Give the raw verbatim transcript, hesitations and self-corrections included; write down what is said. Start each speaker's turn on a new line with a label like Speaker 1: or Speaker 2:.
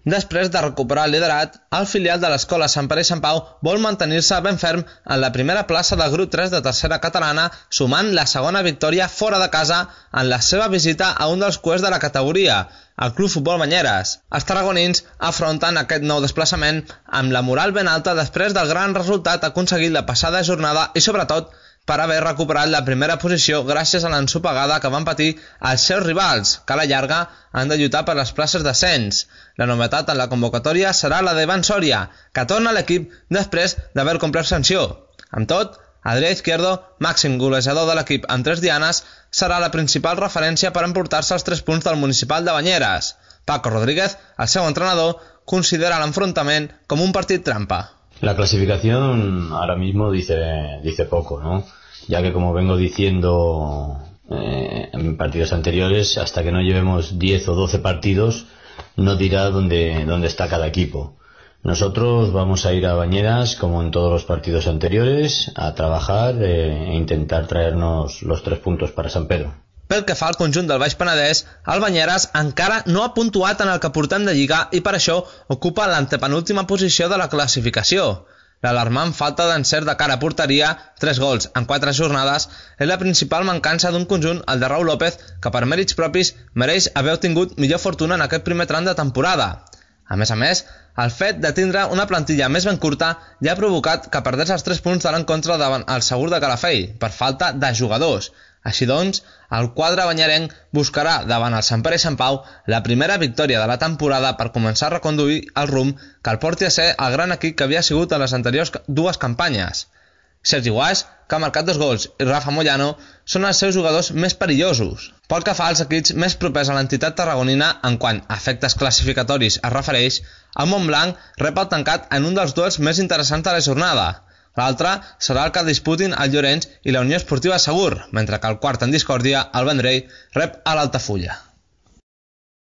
Speaker 1: Després de recuperar el liderat, el filial de l'escola Sant Pere i Sant Pau vol mantenir-se ben ferm en la primera plaça del grup tres de tercera catalana, sumant la segona victòria fora de casa en la seva visita a un dels cuers de la categoria, el Club Futbol Banyeres. Els tarragonins afronten aquest nou desplaçament amb la moral ben alta després del gran resultat aconseguit la passada jornada i, sobretot, per haver recuperat la primera posició gràcies a l'ensopegada que van patir els seus rivals, que a la llarga han de lluitar per les places d'ascens. La novetat en la convocatòria serà la d'Ivan Sòria, que torna a l'equip després d'haver complert sanció. Amb tot, Adrià Izquierdo, màxim golejador de l'equip amb tres dianes, serà la principal referència per emportar-se els tres punts del municipal de Banyeres. Paco Rodríguez, el seu entrenador, considera l'enfrontament com un partit trampa.
Speaker 2: La clasificación ahora mismo dice, dice poco, ¿no? Ya que, como vengo diciendo eh, en partidos anteriores, hasta que no llevemos diez o doce partidos, no dirá dónde, dónde está cada equipo. Nosotros vamos a ir a Banyeres, como en todos los partidos anteriores, a trabajar eh, e intentar traernos los tres puntos para Sant Pere.
Speaker 1: Pel que fa al conjunt del Baix Penedès, el Banyeres encara no ha puntuat en el que portem de Lliga i per això ocupa l'antepenúltima posició de la classificació. L'alarmant falta d'encert de cara a porteria, tres gols en quatre jornades, és la principal mancança d'un conjunt, el de Raúl López, que per mèrits propis mereix haver obtingut millor fortuna en aquest primer tram de temporada. A més a més, el fet de tindre una plantilla més ben curta ja ha provocat que perdés els tres punts de l'encontre davant el Segur de Calafell, per falta de jugadors. Així doncs, el quadre banyerenc buscarà davant el Sant Pere i Sant Pau la primera victòria de la temporada per començar a reconduir el rumb que el porti a ser el gran equip que havia sigut en les anteriors dues campanyes. Sergi Guaix, que ha marcat dos gols, i Rafa Moyano són els seus jugadors més perillosos. Pel que fa als equips més propers a l'entitat tarragonina en quant a efectes classificatoris es refereix, el Montblanc rep el tancat en un dels duels més interessants de la jornada. L'altre serà el que disputin el Llorenç i la Unió Esportiva Segur, mentre que el quart en discòrdia, el Vendrell, rep a l'Altafulla.